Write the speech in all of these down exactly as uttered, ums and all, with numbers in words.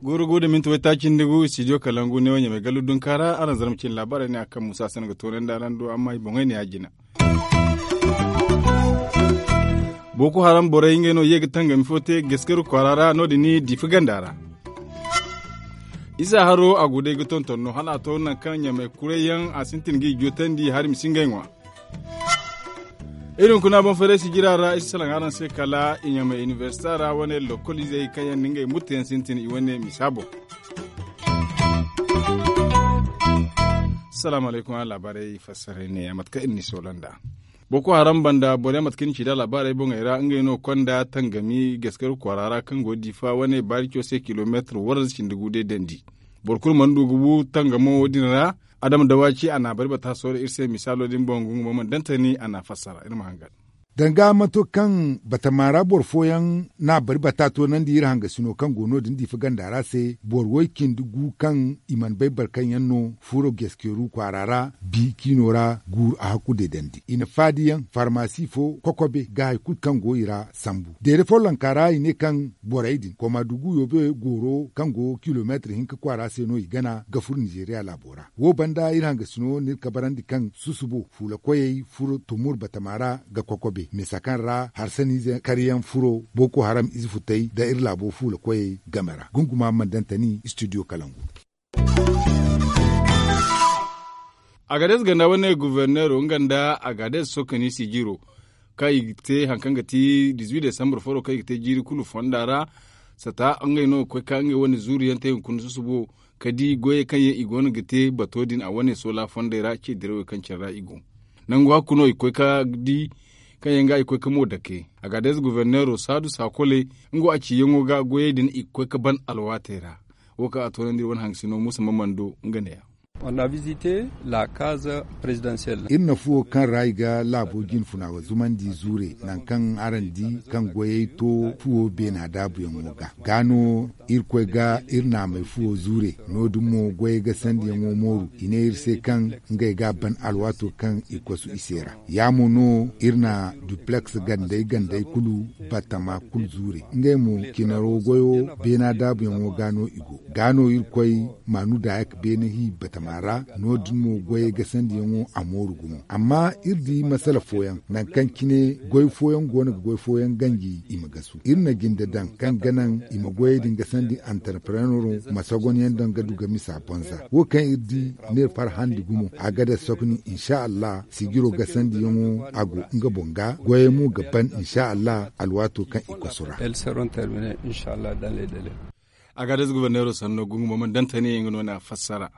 Guuru gu da minti waytaaci nda gu studio kalangu ne wo ɲamay gallu dunka ra araŋ zarma cine laabaarey ne a kaŋ musa se no ga toonandi araŋ do amma i boŋey ne ya jina. Boko haram borey ngey no ye ga tangami fo te gaskaru kwaara ra no- din diifa ganda ra. Isa haro a go day ga tonton no hala a to nangu kaŋ ɲamay kuray yaŋ a sintin ga i jootandi hari ma si ngey ŋwa. Iri hunkuna boŋ farey sijira ra i si salaŋ araŋ se kala i ɲamay inibersita ra wane lokol izey kaŋ yaŋ na ngey murte yaŋ sintin i wane misa boŋ. Salaamu alaykum araŋ laabaarey fassaray ne ya mate kaŋ iri n'i soola nd'a. Boko haram banda boro yaŋ mate kaŋ iri na ci nd'a laabaarey boŋey ra ngey no konda tangami gaskaru kwaara ra kaŋ go diifa wane baarico se kilomeetir waranza cindi gu day dandi. Boro kulu mana du ga bu tangamo wo- din ra. Adama dawaci a na a bari bata soora iri se misaalo din boŋ gungu boŋ mana dantani a na a fassara iri ma hangan. Danga manto kaŋ batama ra boro fooyaŋ na a bari bata toonandi iri hangasino kaŋ go no- din diifa ganda ra se boro way- cindi gu kaŋ i mana bay boro kaŋ yaŋ no furo geskeru kwaara ra bi kiino ra guuru a hakku deedandi i na faadi yaŋ farmasi fo kokobe ga hari kulu kaŋ go i ra sambu deede follonka ra i ne kaŋ borey din koma dugu yoobe gooro kaŋ go kilomeetir hinka kwaara se no i gana ga furo nizeeriya laabo ra. Wo banda iri hangasino no iri kabarandi kaŋ susubo fuula koyey furo tumur batama ra ga kokobe misa kaŋ ra harsaniize karyaŋ furo boko haram ize futey nda iri laabo fuula koyey game ra gunguma mana dantani studio kalangu. Agades ganda wane guverneero nga nda agades sokani sijiro kaŋ i ga te hari kaŋ ga ti dizuwi desambur foro kaŋ i ga te jiiri kulu fonda ra. Sata ngey no ga koy ka ngey wane zuuru yaŋ te hunkuna susubo ka di goyey kaŋ yaŋ i go no ga te bato din a wane soola fondey ra ce dirawey kaŋ care ra i go. Nangu hakku no i ga koy ka di kaŋ yaŋ ga i ga koy ka mo dake. Agades guverneero saadu saakole nga wo a ciyaŋo ga goyey din i ga koy ka ban alwaatey ra. Wo kaŋ a toonandi iri wane hangasino muusa ma mana do nga ne ya. Iri na fuwo kaŋ ra i ga laabo jinfuna wa zumandi zuure nangu kaŋ araŋ di kaŋ goyey to fuwo beena daabuyaŋo ga ga no irkoy ga iri naamey fuwo zuure. No- din mo goyey ga sandiyaŋo mooru i ne iri se kaŋ ngey ga a ban alwaato kaŋ i kosu i se ra. Ya mo no iri na dupleks gandey gandey kulu batama kulu zuure ngey mo cinaro goyo beena daabuyaŋo ga no i go ga no irkoy maanu daayak beene hi batama ra. No- din mo goyey gasandiyaŋo a mooru gumo amma iri di masala fooyaŋ nangu kaŋ cine goy fooyaŋ go no ga goy fooyaŋ ganji i ma gasu iri na jinde daŋ kaŋ ga naŋ i ma goyey din gasandi antarprenero ma sogonyaŋ daŋ ga du ga misa bonza wo kaŋ iri di no iri farhandi gumo a ga daŋ sokni insa allah sijiro gasandiyaŋo a go nga boŋ ga goyey mo ga ban insa allah alwaato kaŋ i kosu ra. Agades guberneero sanno gungu mo mana daŋ tani nga no na fassara.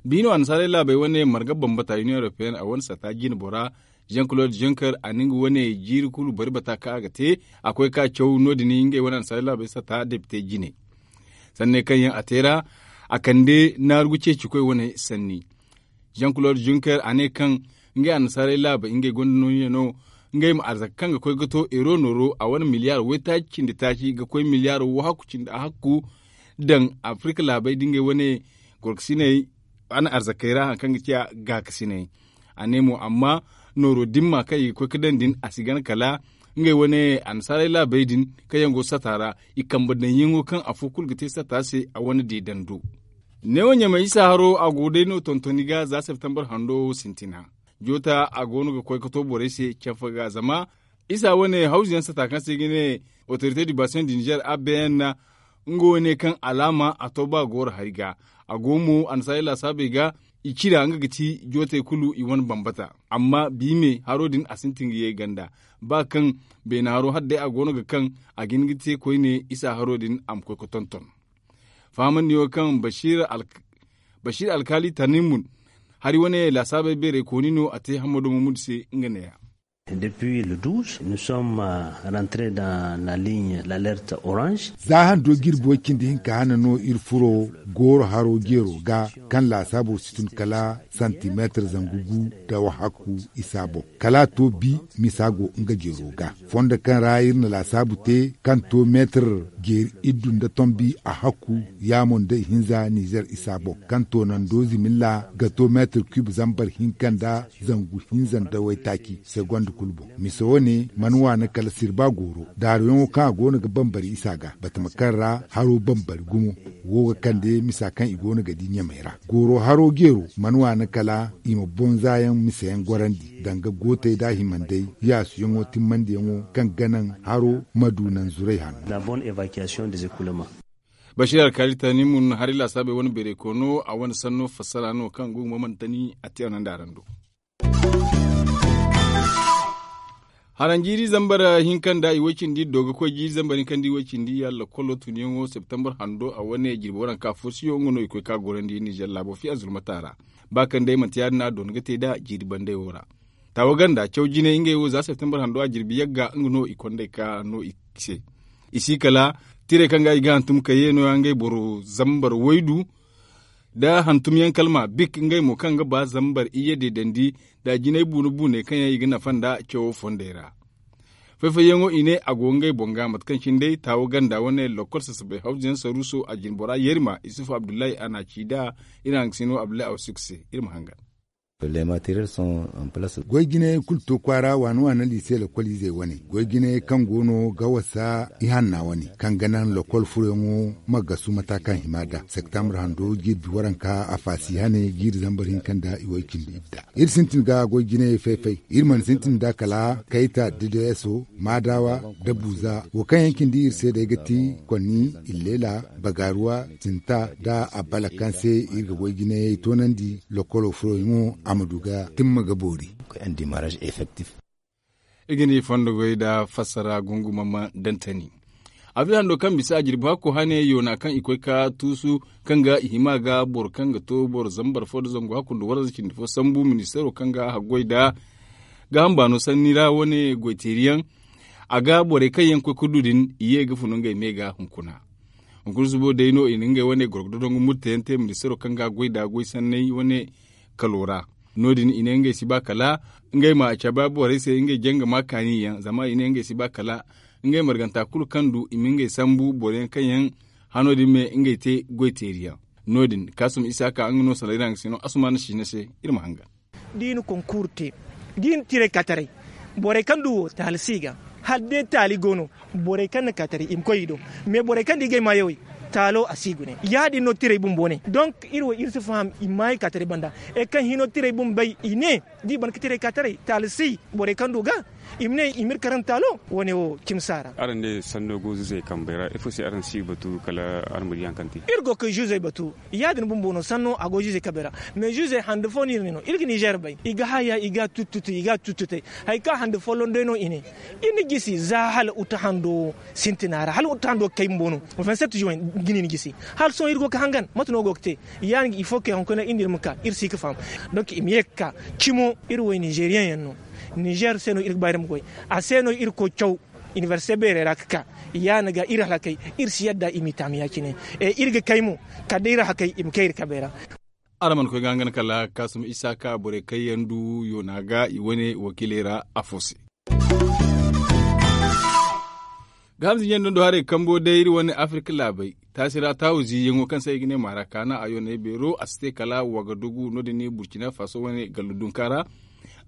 Biino annasaarey laabey wane marga bambata union européenne a wane sata jine bora jean claude juncker a na nga wane jiiri kulu bari bata kaŋ a ga te a koy ka caw no- din ngey wane annasaarey laabey sata depite jine. Sanney kaŋ yaŋ a te ra a kande naarugu ceecikoy wane sanni. Jean claude juncker a ne kaŋ ngey annasaarey laabey ngey gonda nooya no ngey ma arzaka kaŋ ga koy ga to euro nooro a wane miliyaar waytaaci cindi taaci ga koy miliyaar wahakku cindi a hakku daŋ afirka laabey da ngey wane gorkasiney wane arzakey ra hari kaŋ ga ciya gaakasiney. A ne mo amma nooro dimma kaŋ i ga koy ga daŋ din a si gana kala ngey wane annasaarey laabey din kaŋ yaŋ go sata ra i kambe daŋyaŋo kaŋ afo kulu ga te sata se a wane deedando. Neewo ɲamay isa haro a go day no tontoni ga za septembre hando wo sintina. Joota a go no ga koy ga to borey se canfa ga zama isa wane hawzu yaŋ sata kaŋ se i ga ne autorité du bassin du niger a b n nga wo ne kaŋ alaama a to ba gooro hari ga. A go mo annasaarey laasaabey ga i cira nga ga ti jootey kulu i wane bambata amma bi me haro din a sintin ga ye ganda ba kaŋ beena haro hala day a go no ga kaŋ a ga hin ga te koyne isa haro din a ma koy ga tonton. Fahamandi yaŋo kaŋ bashir alkaali tanimun hari wane laasaabey beerey kooni no a te hammado mamudu se nga ne- ya. Depuis le douze nous sommes rentrés dans la ligne l'alerte orange. Za hando jirbi way cindi hinka hane no iri furo gooro haro jeero ga, kaŋ laasaabo si tun kala santimeetar zangu gu nda wahakku isa boŋ, kala a to bi misa go nga jeero ga. Fondo kaŋ ra iri na laasaabu te kaŋ to meetar jeeri iddu nda tombi a hakku, yaamo nda ihinza nizer isa boŋ, kaŋ toonando zimilla ga to meetar kub zambar hinka nda zangu hinza nda waytaaci segonda kulu boŋ. Mise wo- ne mana waani kala sirba gooro daaruyaŋo kaŋ a go no ga bambari isa ga batama kaŋ ra haro bambari gumo. Wo ga kande misa kaŋ i go no ga di ɲamey ra. Gooro haro jeero mana waani kala i ma boŋ zaayaŋ miseyaŋ gorandi danga gootey nda himandey yaasuyaŋo timmandiyaŋo kaŋ ga naŋ haro ma du naŋ zuray hanno. Bashir alkaali tani mun hari laasaabey wane beeray koono a wane sanno fassara no kaŋ go ga mamantani a te a naŋ da araŋ do. Haranjiiri zambar hinka nda i way cindi do ga koy jiiri zambar hinka nda i way cindi ya lakkolo tunyaŋo septembar hando a wane jirbi waranka fo siyo nga no i koy ka gorandi nizer laabo fiya zulmata ra. Ba kaŋ day manti ya- din a doona ga te nd'a jiiri bandey wo ra. Taawa ganda caw jinay ngey wo za septembar hando a jirbi yagga nga no i kond'ey ka no i se. I si kala tirey kaŋ ga i ga hantum ka ye no- ya ngey boro zambar waydu nda hantumyaŋ kalma bik ngey mo kaŋ ga ba zambar iyye deedandi nda jinay buune buune kaŋ yaŋ i ga nafa nda cawo fondey ra. Fay-fayyaŋo i ne a go ngey boŋ ga mate kaŋ cine day taawo ganda wane lokkol sasabay hawzuyaŋ saruuso a jinbora yerima isufu abdullahi a na a ci nd'a. Iri haŋgasino abdullahi awsuk se iri ma hangan. Goy jinayey kulu to kwaara waana waana liise lokkol izey wane goy jinayey kaŋ go no ga wasa ihanna wane kaŋ ga naŋ lokkol furoyaŋo ma gasu mata kaŋ hima nd'a septembar hando jirbi waranka a faasi hane jiiri zambar hinka nda i way cindi idda. Iri sintin ga goy jinayey fay-fay. Iri mana sintin nd'a kala kayta dedeso maadawa nda buuza wo kaŋ yaŋ cindi iri se day ga ti konni, illela, bagaaruwa, sinta nda abbala kaŋ se iri ga goy jinayey toonandi. Lokkolo furoyaŋo a ma du ga timma ga boori. Iri ga ni fondo goy nda fassara gunguma ma dantani. Abril hando kaŋ bisa a jirbi hakko hane yoona kaŋ i koy ka tuusu kaŋ ga i hima ga boro kaŋ ga to boro zambar fo nda zangu hakku nda waranza cindi fo sambu ministeero kaŋ ga haggoy nda gaaham baano sanni ra wane goyteeriyaŋ. A ga borey kaŋ yaŋ koy ka du din i ye ga funu ngey me ga hunkuna. Hunkuna subo day no i na ngey wane gorgo dodongu murteyaŋ te ministeero kaŋ ga goy nda goy sanney wane kalo ra. No- din i ne ngey si ba kala ngey ma cabe borey se ngey janga ma kaani yaŋ zama i ne ngey si ba kala ngey marganta kulu kaŋ du i ma ngey sambu boro yaŋ kaŋ yaŋ hano din me ngey te goyteeri yaŋ. No- din kaasum isa ka nga no sala iri haŋgasino asumaana siina se. Iri ma hangan. Da i na konkuuru te da i na tiray ka taray borey kaŋ du wo taali si i ga hala day taali go no. Borey kaŋ na ka taray i ma koy i do. Mais borey kaŋ da i ga ay maayawey taalo a si i gune ya- din no tiray bumbo ne donk iri wo iri si faham i maayey ka taray banda. Ay kaŋ hino tiray bumbey i ne da i ban ga tiray ka taray taali si borey kaŋ du ga i ma ne i ma iri karaŋ taalo. Wo- ne wo cimi si a ra. Araŋ ne sanno go zuuzey kambey ra ifo se araŋ si batu kala araŋ ma di haŋ kaŋ te? Iri go ga zuuzey batu ya- din bumbo no sanno a go zuuzey kambey ra. Mais zuuzey hande fo no iri ne no iri ga nizer bay i ga haya i ga a tuttutay i ga a tuttutay. Hari kaŋ hande folloŋ day no i ne iri na gisi za hala uta hando sintina ra hala uta hando ga kay bumbo no. Vingt sept juin ga ni na gisi hala sohõ iri go ga hangan mate no go ga te? Ya- din ga ifo kay hunkuna iri nda iri ma ka iri si ga faham. Donk i ma ye ga ka cimo iri wo nizeriyaŋ yaŋ no. Nizer se no iri ga ba iri ma goy a se no iri koy caw inibersite beerey ra ga ka. Ya- din ga iri halakey iri si yadda i m'i taami ya- cine. Iri ga kay mo kala day iri hakey i ma kay iri kabey ra. Araŋ mana koy ga hangan kala kaasum isa ka borey kaŋ yaŋ du yoona ga i wane wakiiley ra afo se. Ga hamza ɲaŋ dondo haray kambo day iri wane afirka laabey taasi ra taawu ziiyaŋo kaŋ se i ga ne maarakaana a yooney beero a si te kala wagadugu no- din burcina faso wane gallu dunka ra.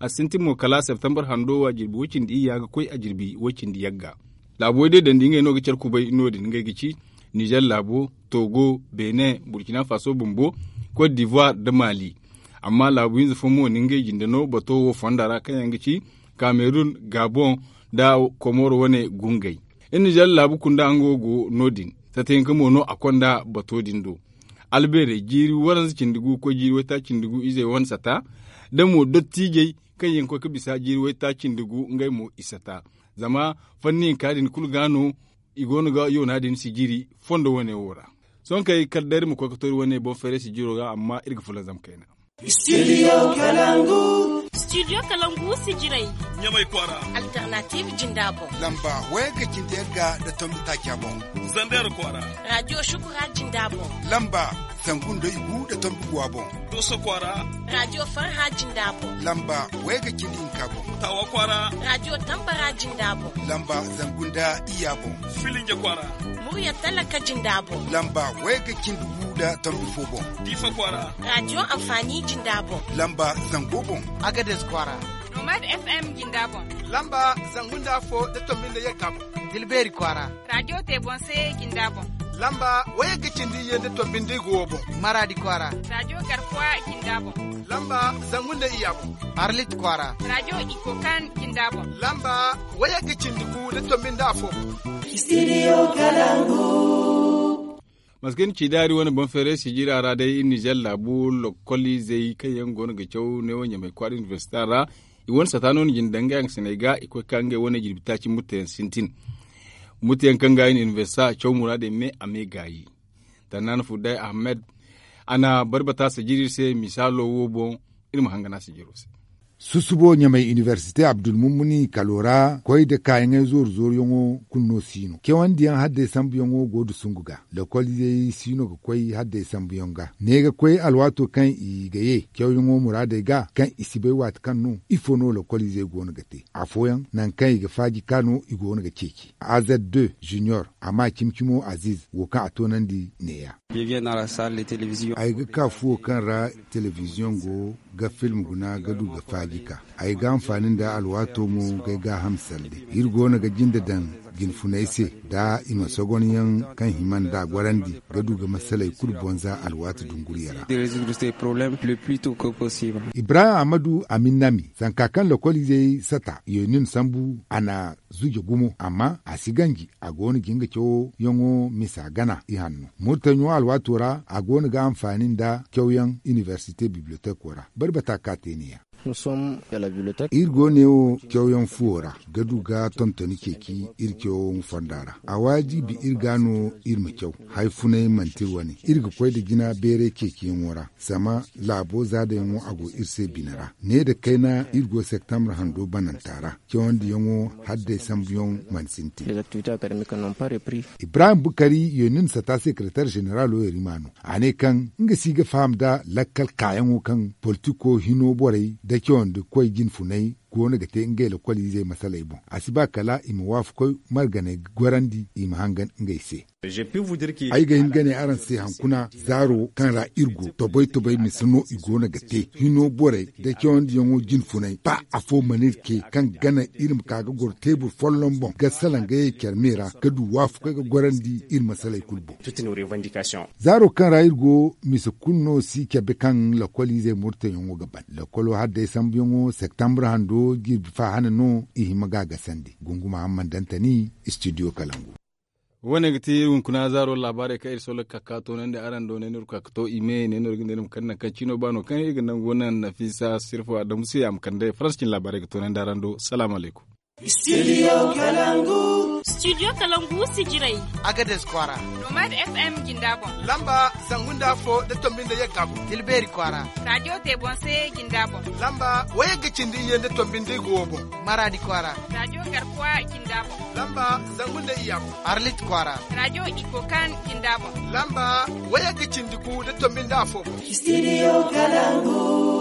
A sintin mo kala septembar hando a jirbi way cindi iyya ga koy a jirbi way cindi yagga. Laabu way day dandi ngey no ga care kubay no- din ngey ga ci nizer laabo, togo, benin, burcina faso bumbo, cote d'ivoire nda mali. Amma laabu hinza fo mo na ngey jinde no bato wo fonda ra kaŋ yaŋ ga ci kamerun, gabon, nda komoro wane gungey. Iri na zalla laabu kunda nga wo go no- din. Sata hinka mo no a konda bato din do. Albeerey jiiri waranza cindi gu koy jiiri waytaaci cindi gu izey wane sata. Da mo dottiijey kaŋ yaŋ ga koy ga bisa jiiri waytaaci cindi gu ngey mo i sata. Zama fanni hinka din kulu ga no i go no ga yoona din sijiri fondo wane wo ra. Sohõ kay kala day iri ma koy ga to iri wane boŋ feeray sijiro ga amma iri ga fulanzam kayna. Studio kalangu. Studio kalangu sijirey. Ɲamay kwaara. Alternative jinda boŋ. Lamba wayagga cindi yagga nda tombi taaca boŋ. Zander kwaara. Radio shukura jinda boŋ. Lamba zangu nda igu nda tombi guwa boŋ. Doso kwaara. Radio farha jinda boŋ. Lamba wayagga cindi hinka boŋ. Tawa kwaara. Radio tambara jinda boŋ. Lamba zangu nda iyya boŋ. Filinja kwaara. Murya talaka jinda boŋ. Lamba wayagga cindi gu nda tombi fo boŋ. Diifa kwaara. Radio anfaani jinda boŋ. Lamba zango boŋ. Agades kwaara. Nomad FM jinda boŋ. Lamba zangu nda afo nda tombi nda yagga boŋ. Tilbeeri kwaara. Radio te boŋ se jinda boŋ. Lamba wayagga cindi iyye nda tombi nda igu wo boŋ. Maraadi kwaara. Radio garkuwa jinda boŋ. Lamba zangu nda iyya boŋ. Arlit kwaara. Radio ikokan jinda boŋ. Lamba wayagga cindi gu nda tombi nda afo boŋ. Studio kalangu. Maskin cidaari wane boŋ feeray sijira ra day iri nizer laabu lokoliizey kaŋ yaŋ go no ga caw neewo ɲamay kwaara inibersita ra. I wane sata no ni jina daŋ nga yaŋ sinay ga i koy ka ngey wane jirbi taaci murtayaŋ sintin. Murtayaŋ kaŋ ga inibersita caw muraadey me a me gaayi. Tannaana fudday ahmed a na barbata sijiri se misaalo wo boŋ. Iri ma hangana sijiro se. Susubo ɲamay inibersite abdulmumuni kalo ra koy nda kaayaŋey zooru zooruyaŋo kulu no si no cawandi yaŋ hadday sambuyaŋo go nda sungu ga. Lokoliizey si no ga koy hadday sambuyaŋ ga ne ga koy alwaato kaŋ i ga ye cawyaŋo muraadey ga kaŋ i si bay waati kaŋ no ifo no lokoliizey go no ga te afooyaŋ nangu kaŋ i ga faaji ka no i go no ga ceeci. Azed deux junior a ma cimi-cimo aziz wo kaŋ a toonandi neeya. Ay ga ka fuwo kaŋ ra telebiziyoŋ go ga film guna ga du ga faaji ka ay ga anfaani nda alwaato mo ga ay gaaham salde. Iri go no ga jinde daŋ jinfunay se nda i ma sogonyaŋ kaŋ hima nda a gorandi ga du ga masaley kulu bonza alwaati dunguriya ra. Ibrahim ahmadu aminnami zanka kaŋ lokoliizey sata yonin sambu a na zuje gumo amma a si ganji a go no ga nga cawo yaŋo misa gana ihanno murtaɲo alwaato ra a go no ga anfaani nda cawyaŋ inibersite bibliyoteko ra. Bari bata ka te neeya. Iri go neewo cawyaŋ fuwo ra ga du ga tontoni ceeci iri cawo fonda ra. A waajibi iri ga no iri ma caw. Hari funay manti iri wane iri ga koy nda jina beeray ceeciyaŋo ra. Zama laabo zaadayaŋo a go iri se bine ra ne nda kayna iri go septambre hando bananta ra cawandiyaŋo hadday sambuyaŋ mana sintin. Ibrahim bukari yonin sata sekeretar zeneralo yerima no a ne kaŋ nga si ga faham nda lakkal kaayaŋo kaŋ politiko hino borey nda cawandi koy jinfunay go no ga te ngey lokoliizey masaley boŋ a si ba kala i ma waafakoy marganey ga gorandi i ma hangan ngey se. Ay ga hin ga ne araŋ se hankuna zaaro kaŋ ra iri go tobay-tobay misa no i go no ga te hino borey nda cawandiyaŋo jinfunay ba afo mana iri ce kaŋ gana iri ma ka ga goro teebur folloŋ boŋ ga salaŋ ga ye care me ra ga du waafakoy ga gorandi iri masaley kulu boŋ. Zaaro kaŋ ra iri go misa kulu no si cabe kaŋ lokoliizey murtayaŋo ga ban lokolo hadday sambuyaŋo septambre hando jirbi fa hane no i hima ga a gasandi gunguma hamman dantani. Studio kalangu. Wo- ne ga ti iri hunkuna zaaro laabaarey kaŋ iri sohõ ga ka ga toonandi araŋ do ne no iri ga ka ga to i me ne no iri ga ne iri ma kande nangu kaŋ ciino ba no kaŋ iri ga nangu naŋ nafiisa sirfo adamu se a ma kande faransa cine laabaarey ga toonandi araŋ do salaamu alaykum. Studio kalangu. Studio kalangu sijirey. Agades kwaara. Nomad FM jinda boŋ. Lamba zangu nda afo nda tombi nda yagga boŋ. Tilbeeri kwaara. Radio te boŋ se jinda boŋ. Lamba wayagga cindi iyye nda tombi nda igu wo boŋ. Maraadi kwaara. Radio garkuwa jinda boŋ. Lamba zangu nda iyya boŋ. Arlit kwaara. Radio ikokan jinda boŋ. Lamba wayagga cindi gu nda tombi nda afo boŋ. Studio kalangu.